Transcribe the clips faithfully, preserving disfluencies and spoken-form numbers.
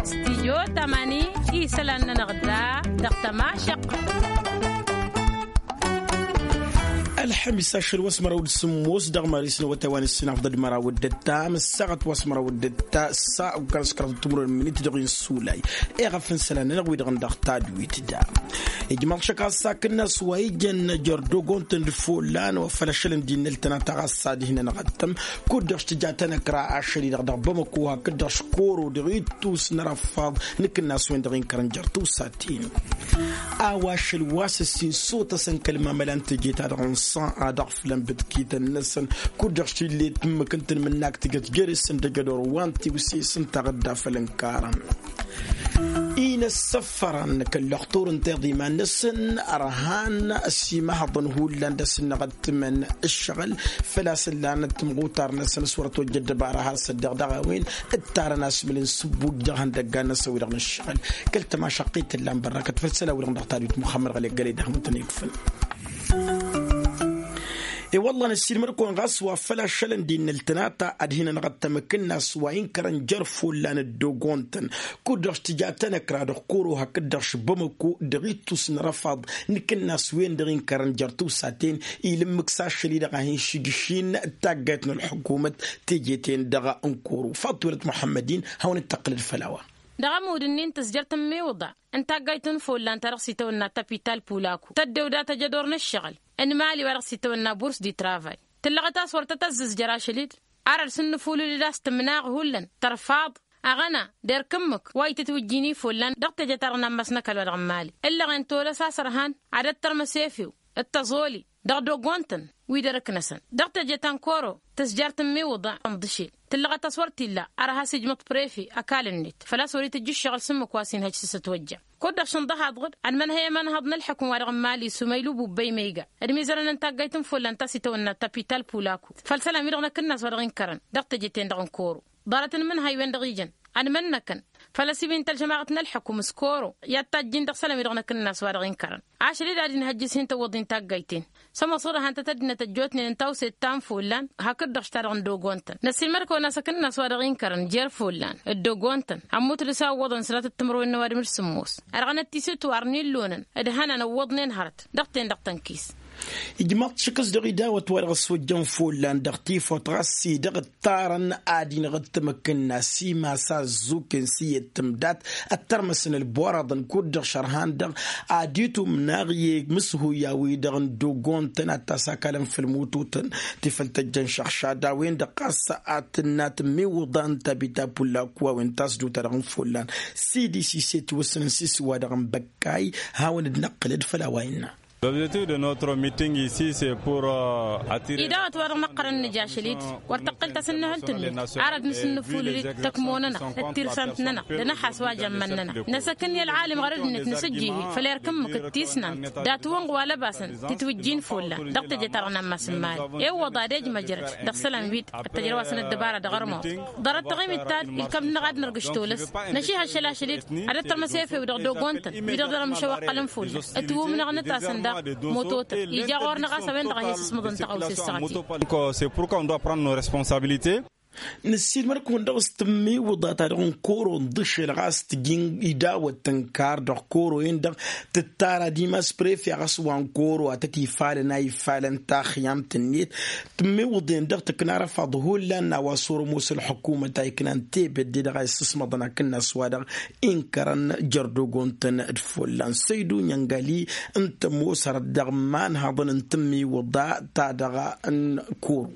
Stijyo tamani isălan-nănăɣ da dăɣ-tămašăq. Ălxămis ašăl wa s-măraw d-sǝmmos dăɣ-maris n-awătay wa n-ǝssinafḍăd măraw d-ǝttam ǝssaɣăt wa s-măraw d-ǝtta ǝssa ukăn s-kăraḍ timǝrwen n-minit dăɣ-insulay. Iɣăf n-isălan-nănăɣ wi-dăɣ n-dăɣ tadwit da ijmaḍ šăkk a-s akǝnnas wa ijăn jăr d-ogontăn d-follan wa făl ašăl n-dd-innăl tănata ɣas s-ad-hin-ănɣăttăm. Kud-dăɣ s-tǝja tanăkra ašăl-i-dăɣ dăɣ-bamăko hakd-dăɣ škoro dăɣ-ittus n-arăffaḍ n-akǝnnas-wen-dăɣ inkărăn jer-tiwsaten. A-wa ašăl wa s-ǝssin sotăsăn kăl-mamăla n-teje-ta-dăɣ n-sănɣa dăɣ-făll-ănbǝtkităn-năsăn kud-dăɣ s-t-ille tǝmmǝk ǝntăn mǝnnak tǝjăt jer-esăn d-ejădor wa n-tiwse s-ǝnta ɣǝdda făll-ǝnkarăn. Inăssăfărăn kăl-lăxtur ǝnta iḍa iman-năsăn ărhan s-imăhăḍăn hullan d-asǝnnăɣăttǝmăn ǝššăɣǝl făl-a-s ǝllanăt timɣutar-năsăn s-wăr ătwăjja ăddăbara har s-ăddeɣ dăɣ-a-wen ǝttarăn asmǝl n-sǝbbuj dăɣ-ihăndăggan-năsăn wi-dăɣ n-ǝššăɣǝl. Kăl-tămašăqqit tǝllan bărrăkăt făll-isălan-wi-dăɣ n-dăɣ tadwit muxămmăd ɣălek gălăy d-ahmǝtăn ikfǝn. I-wălla năssiilmăd-kăwăn ɣas wa făl ašălăn d-innă ǝltănata ad-hin-ănɣăttăm akǝnnas wa inkărăn jer-follan dd-ogontăn kud-dăɣ s-tǝja tanăkra dăɣ-koro hakd-dăɣ š-bamăko dăɣ-ittus n-arăfaḍ n-akǝnnas-wen-dăɣ inkărăn jer-tiwsaten. Ila ǝmmǝk s-ašăl-i-dăɣ a hin-šǝjǝšin taggayt n-ălḥukumăt teje-ten-dăɣ n-koro faḍt-welăt muḥămmăd-in hawăn-dd-tăqqǝlăd făll-a-wa. Dăɣ-ămud-ǝnnin tǝzjăr tǝmmiwǝḍa n-taggayt n-follan ta dăɣ-s itawănna tapital pulako tăddew data jădor n-ǝššăɣǝl n-imali wa dăɣ-s itawănna burs di travay. Tǝllăɣăt a-s wăr tăt-ăzzǝzjăr ašăl-i-dd ar ălsǝnnǝfulǝl-dd a-s tǝmnaɣ hullan tărfaḍ aɣăna d-erk ǝmmǝk wa itǝtwǝjjin i-follan dăɣ-teje-ta-dăɣ n-ammas n-ăkall wa dăɣ-n imali. Ǝllăɣen tolăs a-s ărhan ad-ăttărmăs efew d-tăẓoli dăɣ-dogontăn wi d-erk-năsăn dăɣ-teje ta n-koro tǝzjar tǝmmiwǝḍa n-iḍǝšel. Tǝllăɣăt a-s wăr t-illa ar has-ijmăḍ prefe ăkall-net făl-a-s wăr-itǝjj ǝššăɣǝl s-ǝmmǝk wa s-inhăj s-asătwăjja. Kud-dăɣ šǝnḍăhaḍ-dd ănmănhăy i-imanhăḍ n-ălḥukǝm wa dăɣ-n mali s-umaylu bubbăy ma iga d-imizărăn n-taggayt n-follan ta s-itawănna tapital pulako făll-isălan-wi-dăɣ n-akǝnnas wa dăɣ-inkărăn dăɣ-teje-ten-dăɣ n-koro. Ḍarăt n-imǝnhăy-wen-dăɣ ijăn ănmănnăkăn făl-ăsibin-t ălžămaɣăt n-ălḥukǝm s-koro i-ad-tajjin dăɣ-isălan-wi-dăɣ n-akǝnnas wa dăɣ-inkărăn. Ašăl-i-dd ad-inhăjjǝs hin-tăwwăḍ-in taggayt-en. Sămoosăɣ-dăɣ han tăt-ăddinăt ăjjootnen n-tawset ta n-follan hakd-dăɣ š-ta-dăɣ n-dogontăn năssiilmăd-kăwăn a-s akǝnnas wa dăɣ-inkărăn jer-follan d-dogontăn ămmut dăɣ-s a ǝwwăḍăn sănatăt timǝrwen n-ăwadǝm d-sǝmmos. Ărɣănăt tisǝtwar n-illonăn d-hănan ǝwwăḍnen hărăt dăɣ-ten-dăɣ tănkis. Ijmaḍ-t šăkk s-dăɣ idawăt wa dăɣ-s wăjjăn follan dăɣ-tifawt ɣas s-i-dăɣ ǝttarăn ad-inɣǝttǝm akǝnnas imas a ăzzuken s-iyyăt tǝmdat ăttărmăsăn ălboraḍăn kud-dăɣ šărhan-dăɣ ad-itum naɣ i-mǝshuy a-wi-dăɣ n-dogontăn ad-t-asakalăn făll-mututăn ti făl tăjjăn šăɣšad a-wen-dăɣ ɣas ad-tǝnna tǝmmiwǝḍa n-tabita pullak wa wen tasdut-ta-dăɣ n-follan. Sidi sise tiwǝssǝnăn s-isǝwa-dăɣ n-băkkay hawăn-dd-năqqǝlăd făll-a-wa innă. L'objectif de notre meeting ici c'est pour attirer. Idawăt wa dăɣ-năqqărăn nǝj ašăl-i-dd wăr tăqqǝl tasǝnnǝhǝlt-net ar ad-nǝsǝnnǝfulǝl-dd tăkmo-nănăɣ d-tirsamt-nănăɣ d-anăxas wa jămmăn-nănăɣ. Năsăkǝn i-ălɣalim ɣărăd-net nǝsǝjjih-i făll-erk ǝmmǝk d-tisnant dat-wănɣ wa lăbasăn titwǝjjin follan dăɣ-teje-ta-dăɣ n-ammas n-imali. Iwwăḍ ad-ej măjrăd dăɣ-isălan-wi-dd ăttăjrăwasăn ăddăbara dăɣ-armăwăḍ. Ḍarăt taɣimit ta-dd ilkam-nănăɣ ad-nărgǝš tolăs. Năšihăššăl ašăl-i-dd ad-ăttărmăs efew dăɣ-dogontăn wi-dăɣ dăr-ămšăwăqqălăn fullan ǝtwǝmnăɣ nǝtasăn daɣ. Moto-tăn ija ɣur-năɣ a-s a-wen-dăɣ a hin-sǝsmăḍăn tăɣawse ăssaɣăt-i. C'est pourquoi on doit prendre nos responsabilités. Năssiilmăd-kăwăn dăɣ-s tǝmmiwǝḍa-ta-dăɣ n-koro n-iḍǝšel ɣas tǝjǝn idawăt tǝnkar dăɣ-koro-en-dăɣ tǝttara dimas prefe ɣas wa n-koro a tăt-ifalăn a ifalăn taxyamt-net. Tǝmmiwǝḍen-dăɣ tǝkna arăfaḍ hullan n-a-wa s-orămos ălḥukumăt a iknan tebădde dăɣ-a issǝsmăḍăn akǝnnas-wa-dăɣ inkărăn jer-dogontăn d-follan săydu n-inkăli n-tămoosărăt dăɣ-imanhăḍăn n-tǝmmiwǝḍa-ta-dăɣ n-koro.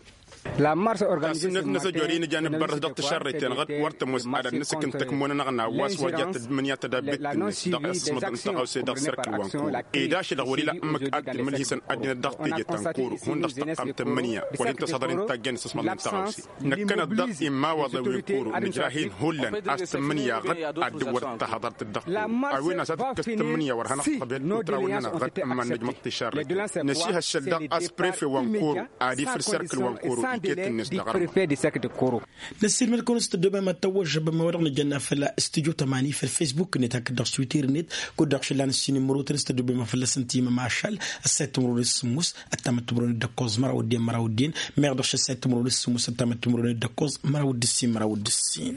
Tasǝnnet-năsăn jori n-ija n-abărrăs dăɣ-tišărreten ɣǝd wăr tămoos ad-ad-nǝsǝkǝn tăkmo-nănăɣ n-a-wa s-wăr ja tădmǝnǝya tădabbet-net dăɣ-issǝsmăḍăn n-tăɣawse dăɣ-serk n-wa n-koro. Ed ašăl-dăɣ wăr-ila ǝmmǝk ad-t-ǝmmǝlhisăn ăddinăt dăɣ-teje ta n-koro hundăɣ s-tǝqqam tǝmmǝnǝya wăr hin-tăshăḍăr-in tajjăn isǝsmăḍăn n-tăɣawse. Năkkănăt daɣ immawaḍăn wi n-koro nǝjrah-in hullan a-s tǝmmǝnǝya ɣǝd ad-dd-wăr-dd-tahăḍărt dd-dăɣ-koro. A-wen a-s ad-ǝkkăs tǝmmǝnǝya wăr hanăɣ-tăbhed utraw-nănăɣ ɣǝd ǝmman nǝjmăḍ tišarreten. Năšihăššăl daɣ a-s prefe wa n-koro ad-ifǝl serk n-wa n-koro iket-net dăɣ-armăḍ. Năssiilmăd-kăwăn s-tăddoobem ad-tăwwăžžăbăm a-wa dăɣ-nǝjănna făll-studyo tămani făll-facebook-net hakd dăɣ-twitter-net. Kud-dăɣ šǝllan ǝssin imrotăn s-tăddoobem ad-fălla-săn timăm ašăl ăssayăt timrăwen d-sǝmmos ăttamăt timrăwen d-ǝkkoẓ măraw d-en măraw d-en. Meɣ dăɣ-šăssayăt timrăwen d-sǝmmos ăttamăt timrăwen d-ǝkkoẓ măraw d-ǝssin măraw d-ǝssin.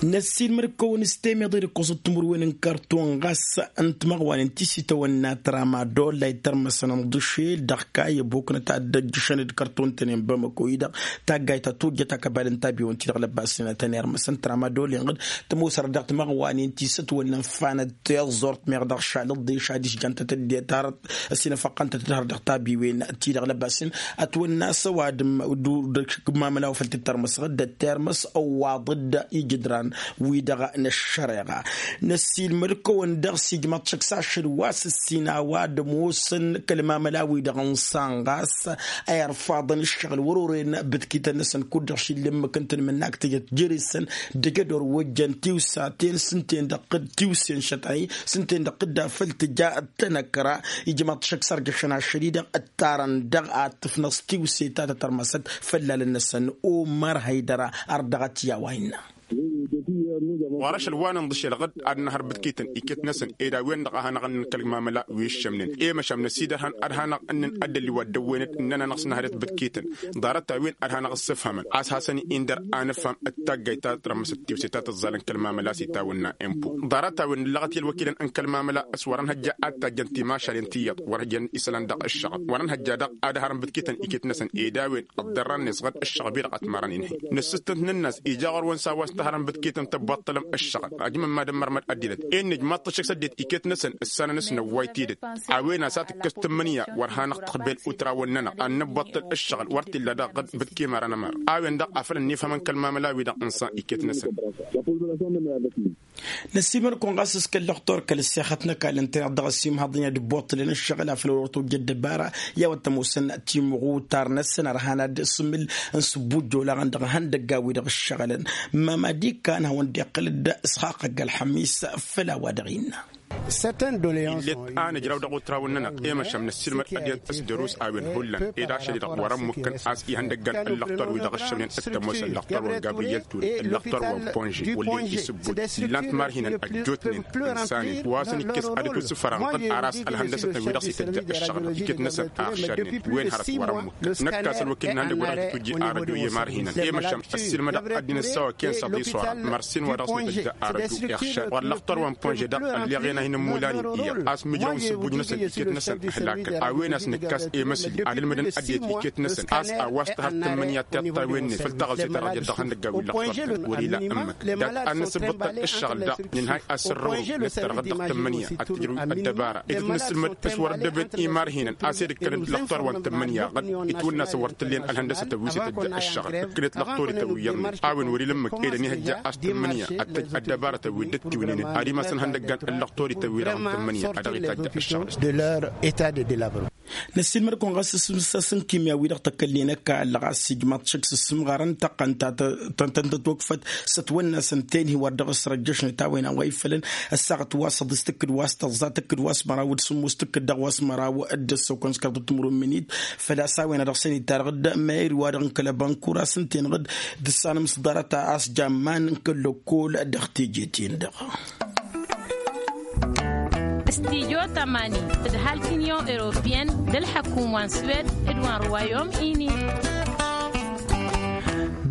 Năssiilmăd-kăwăn s-temeḍe d-ǝkkoẓăt timǝrwen n-karton ɣas n-timăɣwanen ti s-itawănna tramadol la itărmăsăn n-iḍǝšel dăɣ-kayăbok n-ad-dd-ăjjăšăn d-karton-tăn-en bamăko-i-dăɣ taggayt ta tojjăt akăbal n-tabiwen-ti-dăɣ lăbasnen ad-tăn-irmăsăn tramadol-en ɣǝd tămoosărăt dăɣ-timăɣwanen ti s-ătwănnăn fanăt tiẓẓurt meɣ dăɣ-išalăḍḍe šad-išjan tăt-dd-tarăt ăsinăfăqqăn-tăt-dd-har dăɣ-tabiwen-ti-dăɣ lăbasnen ătwănna a-s ăwadǝm d-ur-dăɣ. Mamăla wa făl tǝttărmăsăɣ-dd ăttărmăs ăwwaḍ-dd ijǝdran-wi-dăɣ n-ăššăreɣa. Năssiilmăd-kăwăn dăɣ-s ijmaḍ šăkk s-ašăl wa s-ǝssin a-wa dd-ămoosăn kăl-mamăla-wi-dăɣ n-iṣan ɣas a irfaḍăn ǝššăɣǝl wăr-oren bǝtkităn-năsăn kud-dăɣ šillǝmmǝk n-tanmǝnnak tǝjăt jere-săn d-ejădor wa ǝjăn tiwsaten s-ǝnta-en-dăɣ tiwse n-šătay s-ǝnta-en-dăɣ dd-afăl tǝja d-tanăkra. Ijmaḍ šăkk s-arjăšăn ašăl-i-dăɣ ǝttarăn dăɣ-ad-tǝfnăẓ tiwse ta tătărmăsăt făllalăn-năsăn. Omăr hăydăra ar dăɣ-t i-a-wa innă. Ɣur-ašăl wa n-inḍǝšel ɣǝd ad-năhăr bǝtkităn iket-năsăn ed a-wen-dăɣ a hanăɣ-ǝnnǝn kăl-mamăla wi ǝššămnen i-măšan năsidărhăn ad-hanăɣ-ǝnnǝn ad-dd-ălliwa dd-ăwwen-dd ǝnnăn-anăɣ s-năhăr-et bǝtkităn. Ḍarăt-a-wen ad-hanăɣ-ǝssǝfhămăn a-s hasăn-i-indăr a nǝfham d-taggayt ta tărmăsăt tiwse ta tǝẓẓalăn kăl-mamăla s-itawănna empo. Ḍarăt-a-wen nǝllăɣăt i-ălwăkilăn n-kăl-mamăla a-s wăr-ănhăjja ad-tajjăn timašalen tiyyăḍ wăr hǝjăn isălan dăɣ-ǝššăɣăb wăr-ănhăjja dăɣ-ad-hărăn bǝtkităn iket-năsăn ed a-wen ăḍḍărran-net ɣǝd ǝššăɣăb-i-dăɣ ătmarăn inhăy. Nǝssǝstăn-t nǝnn'-as ija ɣur-wăn s-a-wa s-tăhărăn bǝtkităn tăbbaṭṭălăm ǝššăɣǝl. Ajmăn mad-ămmărmăd ăddinăt inn'-ej maḍt ăššăk s-ăddinăt iket-năsăn ǝssanăn s-năwway tidǝt. A-wen a-s ad-tǝkkăs tǝmmǝnǝya wăr hanăɣ-tăxbel utrawăn-nănăɣ ad-nǝbbaṭṭăl ǝššăɣǝl wăr t-illa daɣ ɣǝd bǝtki măra n-ămăra. A-wen-dăɣ a făl ănnifhămăn kăl-mamăla-wi-dăɣ n-iṣan iket-năsăn. Năssiilmăd-kăwăn ɣas s-kăl-lăxtor kăl-ăssexăt n-ăkall ǝntăneḍ dăɣ-ăsimhăḍ-in ad-ǝbbuṭṭǝlăn ǝššăɣǝl afăl wăr-tojjăt dăbara. I-a-wa t-ămoosăn timɣutar-năsăn ărhan ad-sǝmǝl n-sǝbbujj olaɣăn dăɣ-ihăndăgga-wi-dăɣ ǝššăɣǝlăn. Mămadi kan hawăn-dd-iqqǝl-dd s-xaqăgg ălxămis făll-a-wa dăɣ-innă. Ill'-et a nǝjraw dăɣ-otrawăn-nănăɣ i-măšan năssiilmăd ad-dd-tăsdărus a-wen hullan ed ašăl-i-dăɣ wăr-ămm mukăn a-s ihăndăggan ǝllăqtor-wi-dăɣ ǝššămnen d-tămoos ǝllăqtor wa n-gabriyel ture ǝllăqtor wa n-ponže wăllen isǝbbut. Ǝllan-t marhinăn ăjjootnen ǝnsanen wa s-ănikkes ad-ǝtwǝssǝfăra n-ɣǝd aras ălhăndăsătăn wi-dăɣ s-ităjja ǝššăɣǝl iket-năsăn a ăɣšadnen wen hărăt wăr-ămmut. Năkk a-s ălwăkil n-ihăndăg wa dăɣ-t itwǝjji arăjo i-imarhinăn i-măšan ăssiilmădăɣ ăddinăt s-a-wa ken s-aḍis wara mărsen wa dăɣ-s nǝtăjja arăjo iɣšad wăr lăqtor wa n-ponže dăɣ-ălleɣen a hin-ămmulan-in iyyăḍ a-s mǝjraw n-sǝbbuj-năsăn iket-năsăn ǝhlakăn a-wen a-s nǝkkas i-măsli ad-ǝlmǝdăn ăddinăt iket-năsăn a-s a-wa s-tăhăr tǝmmǝnǝya tiṭṭawen-net făll-taɣălse ta dăɣ-jăt dăɣ-ihăndăgga wi n-lăqtor wăr-ila ǝmmǝk dat-ad-nǝsǝbbăḍ ǝššăɣǝl daɣ nǝnhay asǝrrǝwrǝw nǝttărɣăd dăɣ-tǝmmǝnǝya ad-tǝjrǝw ăddăbara ed ǝtnǝssǝlmăd s-wăr-ăddăben imarhinăn a-s ed ǝkkănăt lăqtor wa n-tǝmmǝnǝya ɣǝd itwǝnna s-wăr t-tǝllen ălhăndăsătăn wi s-ităjja ăššăɣǝl ǝkkănăt lăqtor-ităn wi iyyăḍnen a-wen wăr-ila ǝmmǝk ed ănihăjja a-s tǝmmǝnǝya ad-tăj ăddăbarătăn wi dd-ăttiwǝnǝynen ad-imasăn ihăndăggan n-lăqtor-ităn wi-dăɣ n-tǝmmǝnǝya a dăɣ-itajj ăššăɣǝl. Năssiilmăd-kăwăn ɣas s-imǝssasen kimya-wi-dăɣ tăkălnen ăkall ɣas ijmaḍ šăkk s-ǝssǝmɣarăn tăqqăn ta tăn-tătwăkfăt s-ătwănna s-ǝnta-en hi-wăr dăɣ-s răjjăšnet a-wen a-wa ifălăn ăssaɣăt wa s-ăḍis tǝkkǝd wa s-tăẓẓa tǝkkǝd wa s-măraw d-sǝmmos tǝkkǝd dăɣ-wa s-măraw d-ăssokăn s-kăraḍ timǝrwen mǝnit. Făl-a-s a-wen a dăɣ-săn itarăɣ-dd mayri wa dăɣ-n kăl-ăbănkura s-ǝnta-en ɣǝd d-ǝssanăm s-ḍarăt a-s jamman n-kăl-lăkkol dăɣ-teje-ten-dăɣ. Stijo tămani d-halk inyon europiyăn d-ălḥăkum wa n-swed d-wa n-ruwayom ini.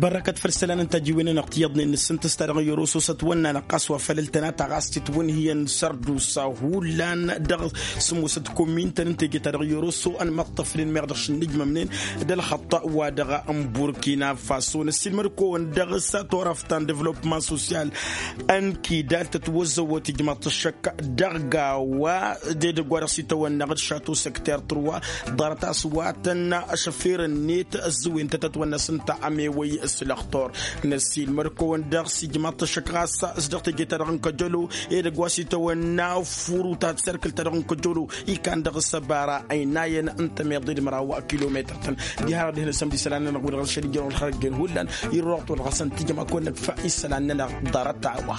Bărrăkăt făll-isălan n-tajiwen-nănăɣ tiyyăḍnen n-asǝntǝs ta dăɣ-n yoroso s-ătwănna-năɣ ɣas wa făl ǝltăna ta ɣas titwǝnhǝyăn sărdusa hullan dăɣ-sǝmmosăt komin-tăn n-teje ta dăɣ-yoroso ănmăṭṭăfnen meɣ dăɣ-šǝnnǝjmămnen d-ălxăṭṭa wa dăɣ-n burkina faso năssiilmăd-kăwăn dăɣ-s turăft ta n-devălopman sosyal n-kidal tătwăzzăwăt ijmaḍ-t ăššăk dăɣ-gawa d-edăgg wa dăɣ-s itawănna ɣǝd šato săkter tărwa ḍarăt a-s wa tănna ašăfer-net ăzzăwen-tăt ătwănna s-ǝnta ămewăy s-lăxtur. Năssiilmăd-kăwăn dăɣ-s ijmaḍ-t ăššăk ɣas s-dăɣ teje-ta-dăɣ n-kăjălo edăgg wa s-itawănna furu ta tǝsserkǝlt-ta-dăɣ n-kăjălo ikan dăɣ-s ăbara ăynayăn n-tămeḍe d-măraw kilometăr-tăn. Diha-dăɣ dihen-asăm d-isălan-nănăɣ wi-dăɣ ălšăl ijăn wăl-xărăjjen hullan irruɣ-t wăl-ɣasăn tijăma kăwăn-năkfa isălan-nănăɣ ḍarăt a-wa.